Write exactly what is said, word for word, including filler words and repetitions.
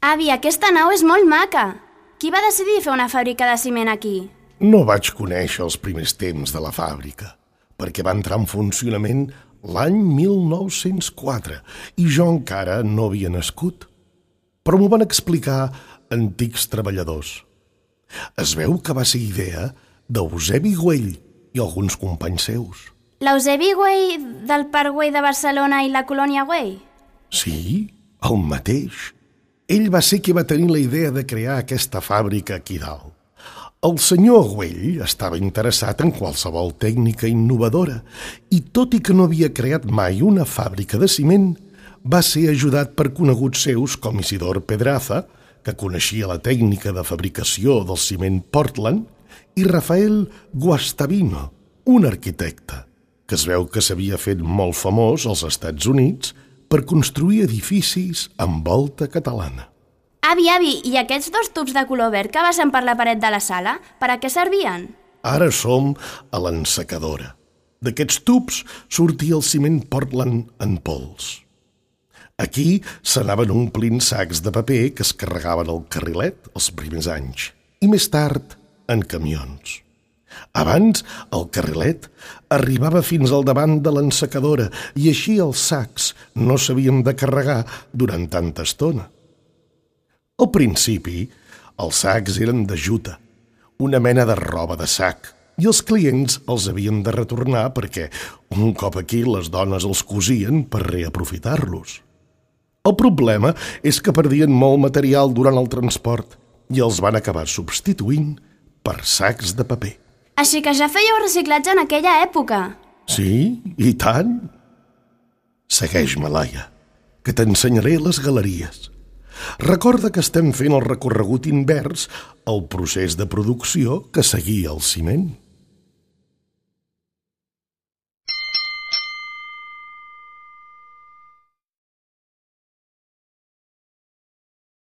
Avi, aquesta nau és molt maca. Qui va decidir fer una fàbrica de ciment aquí? No vaig conèixer els primers temps de la fàbrica, perquè va entrar en funcionament l'any mil nou-cents quatre i jo encara no havia nascut. Però m'ho van explicar antics treballadors. Es veu que va ser idea d'Eusebi Güell i alguns companys seus. L'Eusebi Güell del Parc Güell de Barcelona i la colònia Güell? Sí, el mateix. Ell va ser qui va tenir la idea de crear aquesta fàbrica aquí dalt. El senyor Güell estava interessat en qualsevol tècnica innovadora i, tot i que no havia creat mai una fàbrica de ciment, va ser ajudat per coneguts seus com Isidor Pedraza, que coneixia la tècnica de fabricació del ciment Portland, i Rafael Guastavino, un arquitecte, que es veu que s'havia fet molt famós als Estats Units per construir edificis amb volta catalana. Avi, avi, i aquests dos tubs de color verd que basen per la paret de la sala, per a què servien? Ara som a l'ensecadora. D'aquests tubs sortia el ciment Portland en pols. Aquí s'anaven omplint sacs de paper que es carregaven al carrilet els primers anys i més tard en camions. Abans, el carrilet arribava fins al davant de l'ensecadora i així els sacs no s'havien de carregar durant tanta estona. Al principi, els sacs eren de juta, una mena de roba de sac, i els clients els havien de retornar perquè un cop aquí les dones els cosien per reaprofitar-los. El problema és que perdien molt material durant el transport i els van acabar substituint per sacs de paper. Així que ja fèieu reciclatge en aquella època. Sí, i tant. Segueix-me, Laia, que t'ensenyaré les galeries. Recorda que estem fent el recorregut invers al procés de producció que seguia el ciment.